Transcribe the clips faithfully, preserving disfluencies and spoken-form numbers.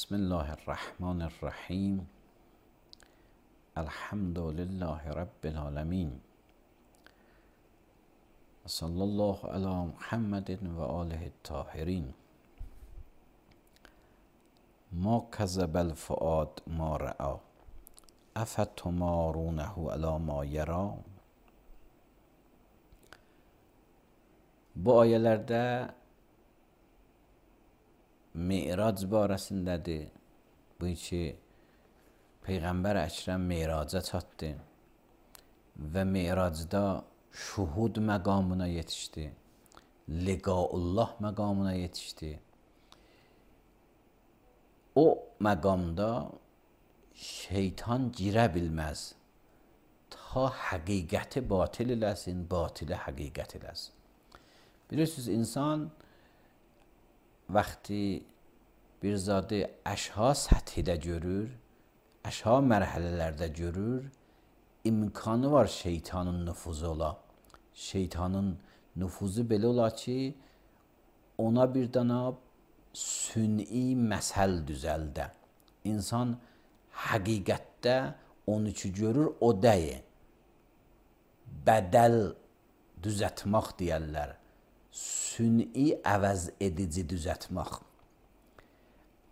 بسم الله الرحمن الرحیم. الحمد لله رب العالمین. صلی الله علی محمد و آله الطاهرین. ما کذب الفؤاد ما رأى افتمارونه علی ما یری. Bu ayələrdə Mi'rac barəsindədir. Bu ki, Peyğəmbər Əkrəm Mi'raca çatdı və Mi'racda şuhud məqamına yetişdi, liqaullah məqamına yetişdi. O məqamda şeytan girə bilməz ta həqiqəti batil eləsin, batili həqiqət eləsin. Bilirsiniz, insan vəqti bir zadı əşha səthidə görür, əşha mərhələlərdə görür, imkanı var şeytanın nüfuzu ola. Şeytanın nüfuzu belə ola ki, ona bir dana sün'i məsəl düzəldə. İnsan həqiqətdə onu ki görür, o deyil. Bədəl düzətmək deyərlər. Sün'i əvəz edici düzətmək.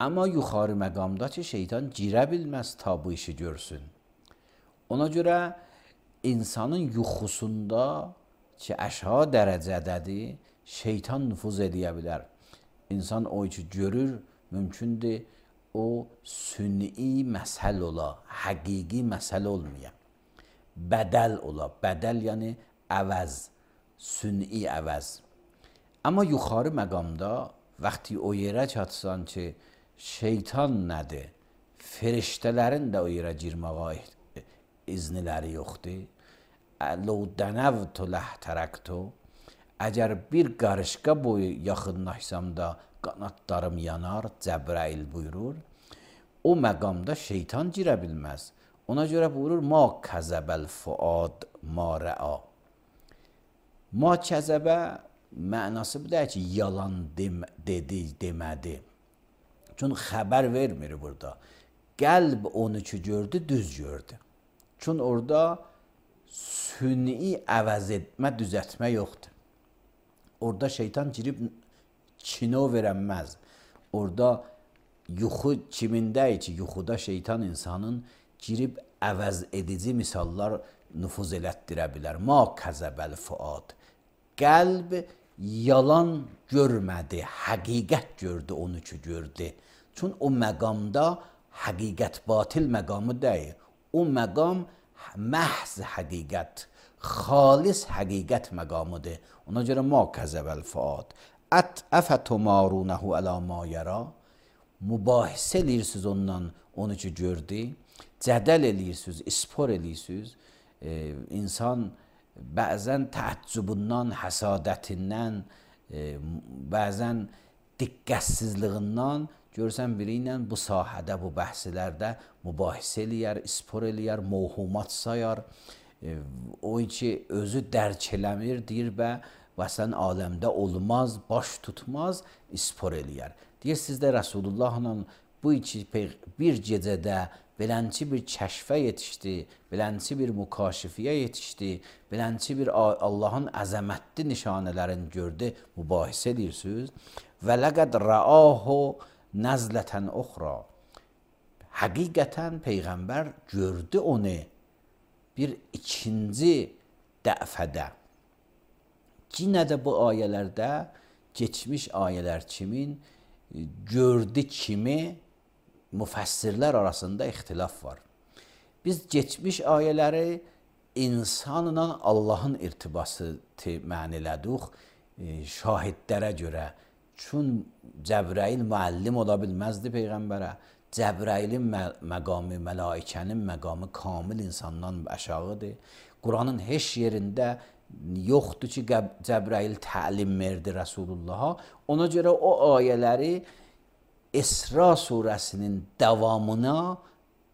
Amma yuxarı məqamda ki, şeytan girə bilməz ta bu işi görsün. Ona görə insanın yuxusunda ki, əşha dərəcədədir, şeytan nüfuz edə bilər. İnsan o ki görür, mümkündür o sün'i məsəl ola, həqiqi məsəl olmaya. Bədəl ola, bədəl yəni əvəz, sün'i əvəz. Amma yuxarı məqamda vaxtı o yerə çatsan ki, şeytan nədir? Feriştələrin də o yerə girməyə izniləri yoxdur. Ləv dənəvtu ləhtərəktu. Əgər bir qarışqa boyu yaxınlaşsam da qanatlarım yanar, Cəbrail buyurur. O məqamda şeytan girə bilməz. Ona görə buyurur, ma kəzəbəl fuad ma rə'a. Ma kəzəbə mənası bu deyir ki, yalan dem dedi, demədi. Çünki xəbər vermir burada. Qəlb onu ki gördü, düz gördü. Çünki orada sün'i əvəz etmə, düzətmə yoxdur. Orada şeytan girib kino verənməz. Orada yuxu kimindəyir ki, yuxuda şeytan insanın girib əvəz edici misallar nüfuz elətdirə bilər. Ma kəzəbəl fuad. Qəlb yalan görmədi, həqiqət gördü onu ki gördü. Çünki o məqamda həqiqət batil məqamı deyil. O məqam məhz həqiqət, xalis həqiqət məqamıdır. Ona görə ma kəzəbəl fuad. Ət əfətumarunəhu ələ ma yərə. Mübahisə eləyirsiniz ondan, onu ki gördü. Cədəl eləyirsiniz, ispor eləyirsiniz. Ee, insan bəzən təəccübündən, həsadətindən, e, bəzən diqqətsizliğindən görsən biri ilə bu sahədə, bu bəhslərdə mübahisə eləyər, ispor eləyər, mövhumat sayar. E, o ki özü dərk eləmir, deyir bə, vəsən aləmdə olmaz, baş tutmaz, ispor eləyər. Deyir, sizdə Rəsulullahla bu iki bir gecədə belənçi bir kəşfə yetişdi, belənçi bir mükaşifiyə yetişdi, belənçi bir Allahın əzəmətli nişanələrini gördü, mübahisə edirsiniz. Və ləqəd rəahu nəzlətən uxra. həqiqətən Peyğəmbər gördü onu bir ikinci dəfədə. Yenə də bu ayələrdə geçmiş ayələr kimin gördü kimi müfəssirlər arasında ixtilaf var. Biz geçmiş ayələri insanla Allahın irtibası mən elədik şahidlərə görə. Çün Cəbrail müəllim ola bilməzdi Peyğəmbərə. Cəbrailin məqamı, mələikənin məqamı kamil insandan aşağıdır. Quranın heç yerində yoxdur ki, Cəbrail təlim verdi Rəsulullaha. Ona görə o ayələri İsra surəsinin davamına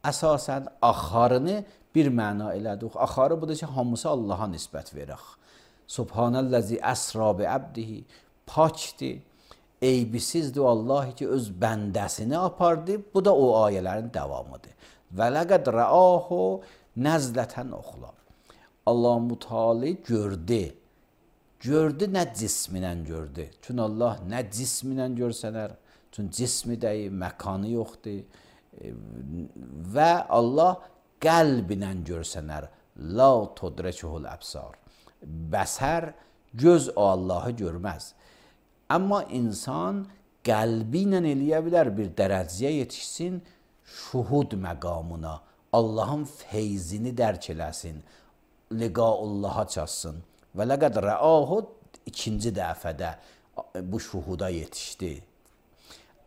əsasən axarını bir məna elədik. Axarı budur ki, hamısı Allaha nisbət verək. Subhanəllazi əsra bi əbdihi, pakdir, eybisizdir Allah ki, öz bəndəsini apardı. Bu da o ayələrin davamıdır. Və ləqəd rəahu nəzlətən oxla. Allah Müteala gördü. Gördü, nə cisminlə gördü. Çünki Allah nə cisminlə görsənər, çünki cismi deyil, məkanı yoxdur. Və Allah qəlbinlə görsənər. La tudrikuhul əbsar. Bəsər, göz o Allahı görməz. Amma insan qəlbi ilə eləyə bilər, bir dərəcəyə yetişsin, şuhud məqamına, Allahın feyzini dərk eləsin, liqaullaha çatsın. Və ləqəd rəahu ikinci dəfədə bu şuhuda yetişdi.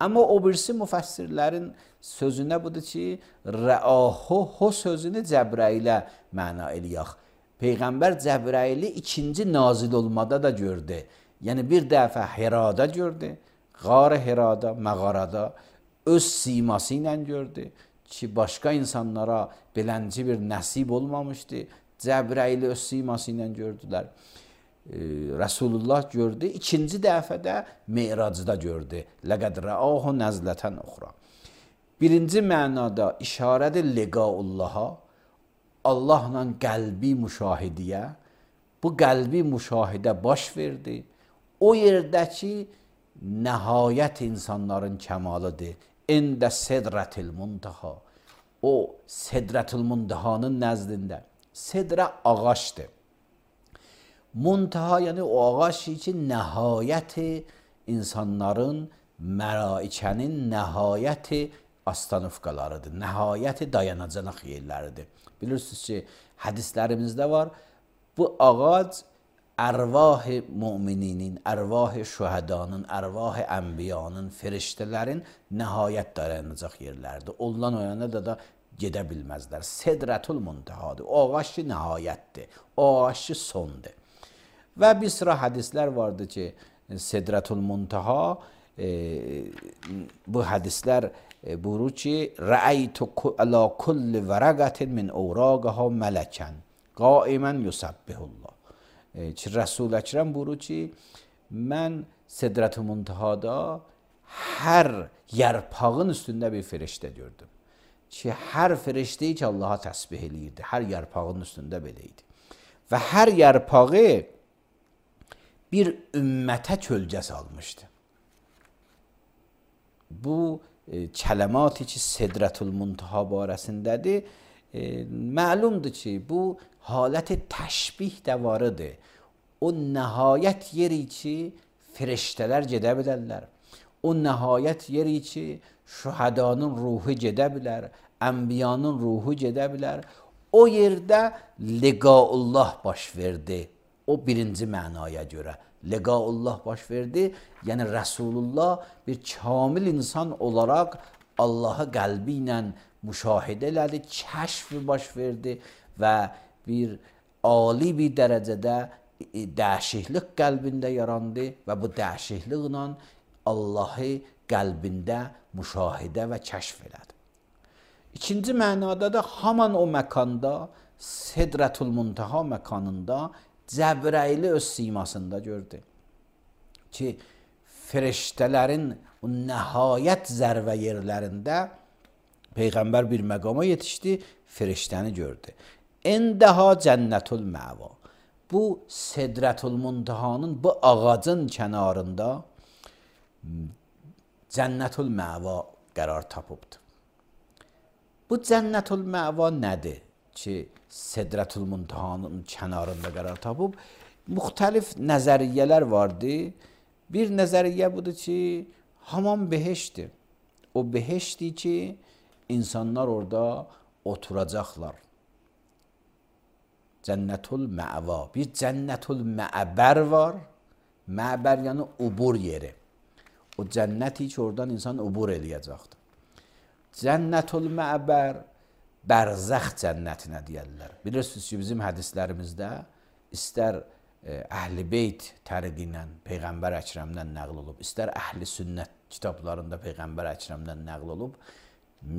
Amma o birisi müfəssirlərin sözünə budur ki, rəahu ho sözünü Cəbrailə məna eləyək. Peyğəmbər Cəbraili ikinci nazil olmada da gördü. Yəni bir dəfə Hirada gördü, Qar-ı Hirada, məğarada öz siması ilə gördü ki, başqa insanlara belənci bir nəsib olmamışdı. Cəbraili öz siması ilə gördülər. Ee, Resulullah gördü. İkinci dəfədə Me'racda gördü. Ləqəd rəahu nəzlətən uxra. Birinci mənada işarədir liqaullaha, Allahla qəlbi müşahidiyə. Bu qəlbi müşahidə baş verdi. O yerdəki nəhayət insanların kəmalıdır. Əndə Sidratil Muntaha. O Sidratil Muntahanın nəzdində. Sidra ağaçdır. Muntaha yəni o ağaç ki, nəhayəti insanların, mələikənin nəhayəti astanufqalarıdır. Nəhayəti dayanacaq yerləridir. Bilirsiniz ki, hədislərimizdə var. Bu ağac ərvah-ı mümininin, ərvah-ı şühədanın, ərvah-ı ənbiyanın, firiştələrin nəhayət dayanacaq yerlərdir. Ondan o yana da da gedə bilməzlər. Sidratul Muntahadır. O ağaç ki, nəhayətdir. O ağaç ki, sondur. Və bir sıra hədislər vardı ki, Sidratul Muntaha, e, bu hədislər e, buyurur ki, Rəəytu ələ kulli vərəqətin min ovraqəha mələkən, qaimən yusabbihullah. E, ki, Rəsul Əkrəm buyurur ki, mən Sidratul Muntahada hər yarpağın üstündə bir firiştə gördüm. Ki, hər firiştəyi ki, Allaha təsbih eləyirdi. Hər yarpağın üstündə belə idi. Və hər yarpağı bir ümmətə kölgə salmışdı. Bu e, kələmatı ki, Sidratul Muntaha barəsindədir, e, məlumdur ki, bu halət təşbih də varıdır. O nəhayət yeri ki, firiştələr gedə bilərlər. O nəhayət yeri ki, şühədanın ruhu gedə bilər, ənbiyanın ruhu gedə bilər. O yerdə liqaullah baş verdi. O birinci mənaya görə. Liqaullah baş verdi. Yəni Rəsulullah bir kamil insan olaraq Allahı qəlbi ilə müşahidə elədi, kəşf baş verdi və bir ali bir dərəcədə dəhşihlik qəlbində yarandı və bu dəhşihliklə Allahı qəlbində müşahidə və kəşf elədi. İkinci mənada da haman o məkanda, Sidratul Muntaha məkanında Cəbraili öz simasında gördü ki, firiştələrin o nəhayət zərvə yerlərində Peyğəmbər bir məqama yetişdi, firiştəni gördü. Əndəha cənnətul məva. Bu Sidratul Muntahanın bu ağacın kənarında Cənnətul məva qərar tapıbdır. Bu Cənnətül Məva nədir ki, Sidratul Muntahanın kənarında qərar tapıb? Müxtəlif nəzəriyyələr vardı. Bir nəzəriyyə budur ki, hamam beheştdir. O beheştdir ki, insanlar orada oturacaqlar. Cənnətül Məva. Bir Cənnətül Məbər var. Məbər yəni ubur yeri. O cənnəti ki, oradan insan ubur eləyəcəkdir. Cənnətül Məbər, bərzəx cənnətinə deyərlər. Bilirsiniz ki, bizim hədislərimizdə istər Əhl-i Beyt təriqi ilə Peyğəmbər Əkrəmdən nəql olub, istər Əhl-i Sünnət kitablarında Peyğəmbər Əkrəmdən nəql olub.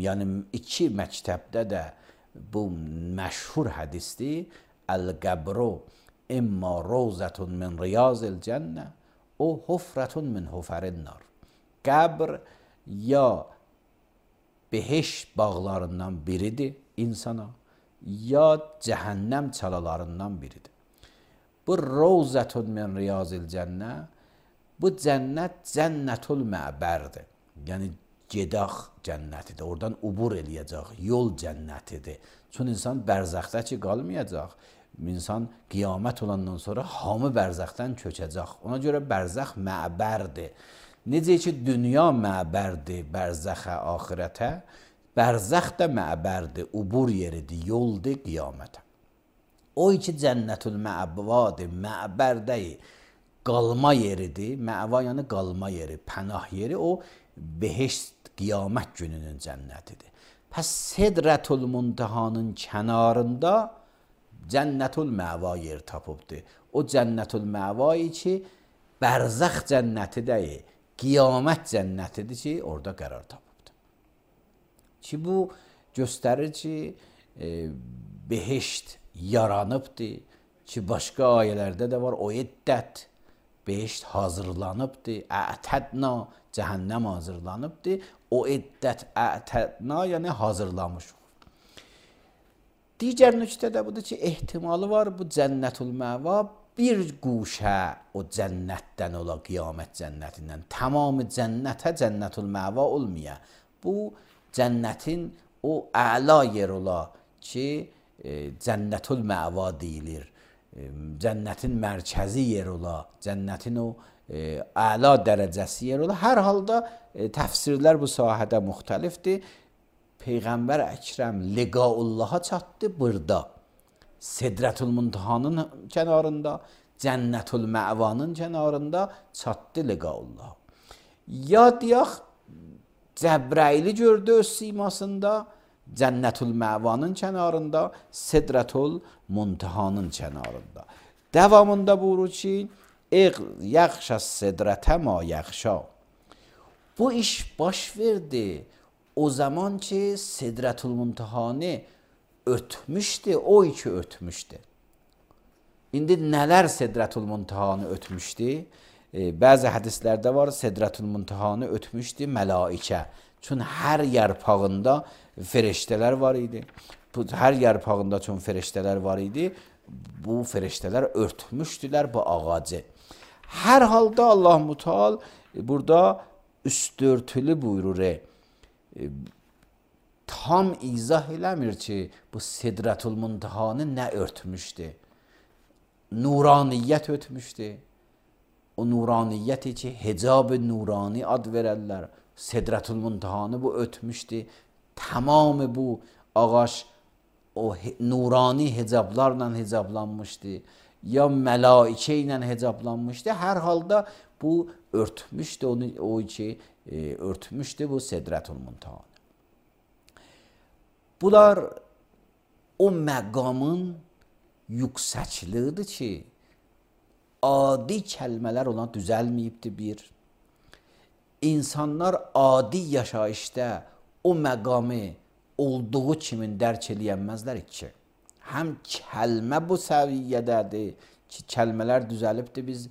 Yəni iki məktəbdə də bu məşhur hədisdir. Əl-qəbru imma rovzətun min riyazil cənnə o hufrətun min hufərin nar. Qəbr ya beheşt bağlarından biridir insana, ya cəhənnəm çalalarından biridir. Bu rovzətun min riyazil cənnə, bu cənnət Cənnətül Məbərdir. Yəni gedaq cənnətidir. Oradan ubur eləyəcək, yol cənnətidir. Çünki insan bərzəxdə ki, qalmayacaq. İnsan qiyamət olandan sonra hamı bərzəxdən köçəcək. Ona görə bərzəx məbərdir. Necə ki, dünya məbərdir, bərzəxə, axirətə, bərzəx də məbərdir, ubur yeridir, yoldur qiyamətə. O iki Cənnətül Məvadır, məbərdəyi, qalma yeridir. Məva yəni qalma yeri, pənah yeri, o beheşt qiyamət gününün cənnətidir. Pəs Sidratul Muntahanın kənarında Cənnətül Məva yer tapıbdır. O Cənnətül Məvayı ki, bərzəx cənnətidəyi, qiyamət cənnətidir ki, orada qərar tapıbdır. Ki bu göstərir ki, e, beheşt yaranıbdır ki, başqa ayələrdə də var, o iddət beheşt hazırlanıbdır, ətədna cəhənnəm hazırlanıbdır, o iddət ətədna yəni hazırlamışıq. Digər nöqtə də budur ki, ehtimalı var bu Cənnətül Məva bir quşə o cənnətdən ola, qiyamət cənnətindən. Tamamı cənnətə Cənnətül Məva olmaya. Bu cənnətin o əla yer ola ki, e, Cənnətül Məva deyilir. E, cənnətin mərkəzi yer ola, cənnətin o e, əla dərəcəsi yer ola. Hər halda e, təfsirlər bu sahədə müxtəlifdir. Peyğəmbər Əkrəm liqaullaha çatdı burada. Sidratul Muntahanın kənarında, Cənnətül Məvanın kənarında çatdı liqaullaha. Ya deyək, Cəbrayili gördü öz simasında, Cənnətül Məvanın kənarında, Sidratul Muntahanın kənarında. Davamında buyurur ki, yaxşa sidrate ma yaxşa. Bu iş baş verdi o zaman ki, Sidratul Muntahanı ötmüşdü, o iki ötmüşdü. İndi nələr Sidratul Muntahanı ötmüşdü? E, bəzi hədislərdə var, Sidratul Muntahanı ötmüşdü mələikə. Çünki hər yarpağında feriştələr var idi. Bu, hər yarpağında çünki feriştələr var idi, bu feriştələr örtmüşdülər bu ağacı. Hər halda Allah-u Teala burada üstörtülü buyurur. E, tam izah eləmir ki, bu Sidratul Muntahanı nə örtmüşdü? Nuraniyyət ötmüşdü. O nuraniyyəti ki, hicab-ı nurani ad verərlər. Sidratul Muntahanı bu ötmüşdü. Tamamı bu ağaç o nurani hicablarla hicablanmışdı. Ya mələikə ilə hicablanmışdı. Hər halda bu örtmüşdü, onu, o ki, e, örtmüşdü bu Sidratul Muntahanı. Bunlar o məqamın yüksəkliyidir ki, adi kəlmələr ona düzəlməyibdir bir. İnsanlar adi yaşayışda o məqamı olduğu kimi dərk eləyənməzlər ki. Həm kəlmə bu səviyyədədir ki, kəlmələr düzəlibdir, biz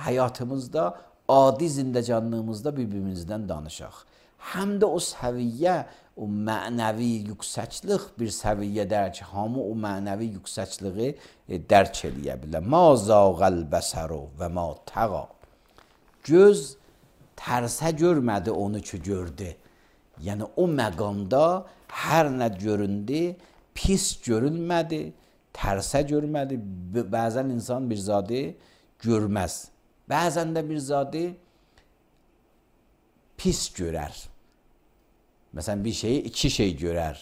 həyatımızda, adi zindəcanlığımızda bir-birimizdən danışaq. Həm də o səviyyə, o mənəvi yüksəklik bir səviyyədə ki, hamı o mənəvi yüksəkliyi e, dərk eləyə bilər. Ma zağəl bəsəru və ma təğa. Göz tərsə görmədi onu ki gördü. Yəni o məqamda hər nə göründü, pis görülmədi, tərsə görmədi. Bəzən insan bir zadı görməz. Bəzən də bir zadı pis görər. Məsələn, bir şeyi iki şey görər.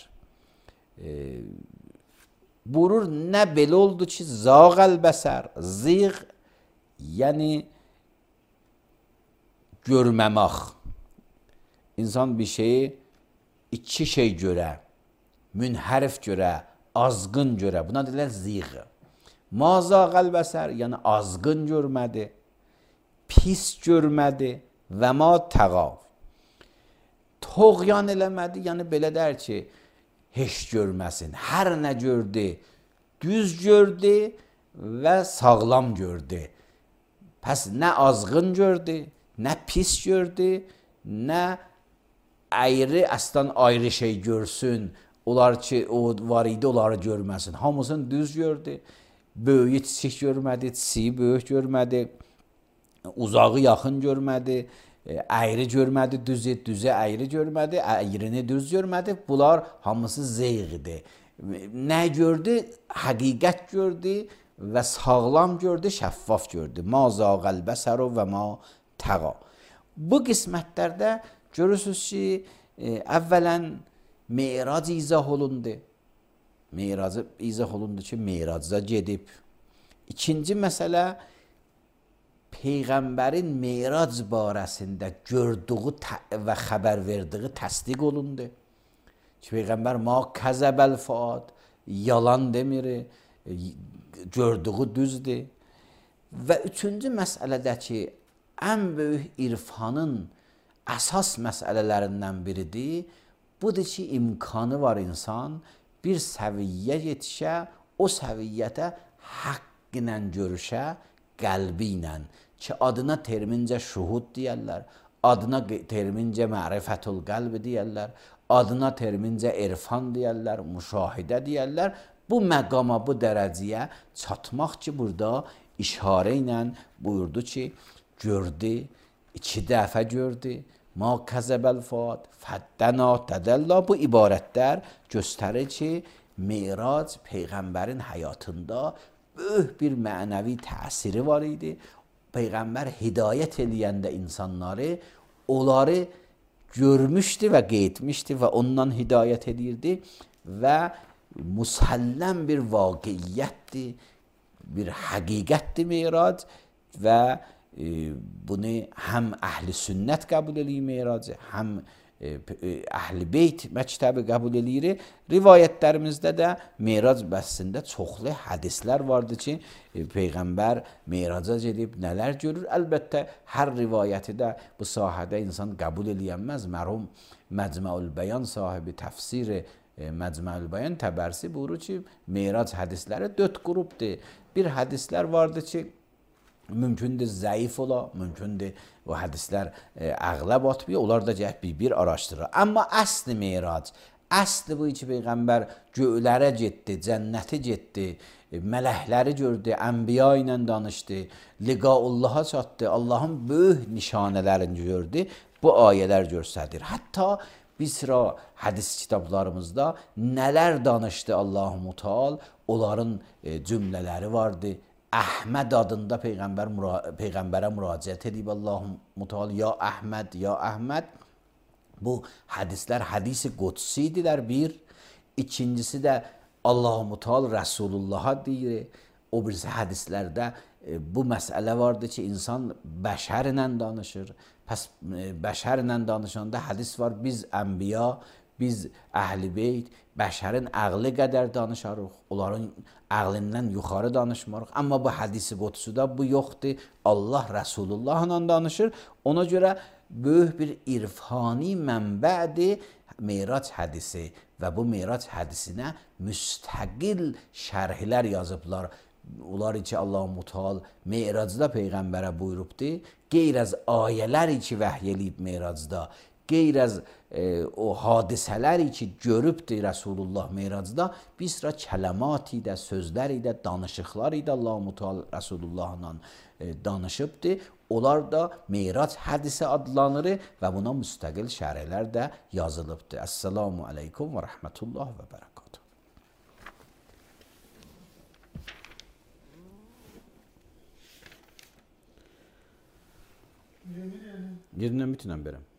E, Buyurur, nə belə oldu ki, zağəl bəsər, ziğ, yəni görməmək. İnsan bir şeyi iki şey görə, münhərif görə, azğın görə, buna deyilər ziğ. Ma zağəl bəsər, yəni azğın görmədi, pis görmədi və ma təğav. Toğyan eləmədi, yəni belə der ki, heç görməsin. Hər nə gördü, düz gördü və sağlam gördü. Pəs nə azğın gördü, nə pis gördü, nə ayrı, əslən ayrı şey görsün. Onlar ki, o var idi, onları görməsin. Hamısını düz gördü. Böyüyü kiçik görmədi, kiçiyi böyük görmədi. Uzağı yaxın görmədi. Ayrı görmədi, düzü, düzü ayrı görmədi, ayrini düz görmədi. Bunlar hamısı zeyğidir. Nə gördü? Həqiqət gördü və sağlam gördü, şəffaf gördü. Ma zağəl bəsəru və ma təğa. Bu qismətlərdə görürsünüz ki, əvvələn Meyrac izah olundu. Meyracı izah olundu ki, Meyracda gedib. İkinci məsələ, Peyğəmbərin Meyrac barəsində gördüyü və xəbər verdiyi təsdiq olundu. Ki, Peyğəmbər ma kəzəbəl fuad, yalan demir, gördüyü düzdür. Və üçüncü məsələdə ki, ən böyük irfanın əsas məsələlərindən biridir, budur ki, imkanı var insan bir səviyyə yetişə, o səviyyətə haqq ilə görüşə, qəlbi ilə. Ki, adına termincə şuhud deyərlər, adına termincə mərifətul qəlb deyərlər, adına termincə irfan deyərlər, müşahidə deyərlər. Bu məqama, bu dərəcəyə çatmaq ki, burada işarə ilə buyurdu ki, gördü, iki dəfə gördü. Ma kəzəbəl fuad, fəddəna tədəllə. Bu ibarətlər göstərir ki, Meyrac Peyğəmbərin həyatında böyük bir mənəvi təsiri var idi. Peyğəmbər hidayət eləyəndə insanları, onları görmüşdü və qeytmişdi və ondan hidayət edirdi və musəlləm bir vaqiyyətdir, bir həqiqətdir Meyrac və e, bunu həm əhl-i sünnət qəbul edir Meyracı, həm Əhl-i Beyt məktəbi qəbul edir. Rivayətlərimizdə də Meyrac bəhsində çoxlu hədislər vardır ki, Peyğəmbər Meyraca gedib nələr görür. Əlbəttə, hər rivayəti də bu sahədə insan qəbul eləyənməz. Mərhum Məcmuəül Bəyan sahibi təfsiri Məcmuəül Bəyan Təbərsi buyurur ki, Meyrac hədisləri dörd qrupdur. Bir hədislər vardır ki, mümkündür zəif ola, mümkündür o hədislər e, əğləb atmıyor, onlar da cəhət bir-bir araşdırır. Amma əsli Meyrac, əsli bu ki, Peyğəmbər göylərə getdi, cənnəti getdi, e, mələkləri gördü, ənbiya ilə danışdı, liqaullaha çatdı, Allahın böyük nişanələrini gördü, bu ayələr göstərir. Hətta bir sıra hədis kitablarımızda nələr danışdı Allah-u Teala, onların e, cümlələri vardı. Əhməd adında Peyğəmbər Peyğəmbərə müraciət edib Allah-u Teala, ya Əhməd, ya Əhməd. Bu hədislər hədisi qudsidirlər bir. İkincisi də Allah-u Teala Rəsulullah'a deyir. O birisi hədislərdə e, bu məsələ vardır ki, insan bəşərlə danışır. Pəs e, bəşərlə danışanda hədis var, biz ənbiya, biz Əhl-i Beyt, bəşərin əqli qədər danışarıq, onların əqlindən yuxarı danışmarıq. Amma bu hədisi qudsuda bu yoxdur. Allah Rəsulullahla danışır. Ona görə böyük bir irfani mənbədir Meyrac hədisi və bu Meyrac hədisinə müstəqil şərhlər yazıblar. Onlar ki, Allah-u Teala Meyracda Peyğəmbərə buyurubdur, qeyr az ayələr ki, vəhy eləyib Meyracda, qeyr az e, o hadisələri ki, görübdür Rəsulullah Meracda, bir sıra kələmat ilə, sözlər ilə, danışıqlar ilə Allah-u Teala Rəsulullahla e, danışıbdır. Onlar da Merac hədisi adlanır və buna müstəqil şərhlər də yazılıbdır. Əssalamu aleykum və rəhmətullah və bərəkatuhu. Yerinə bütünəm berəm.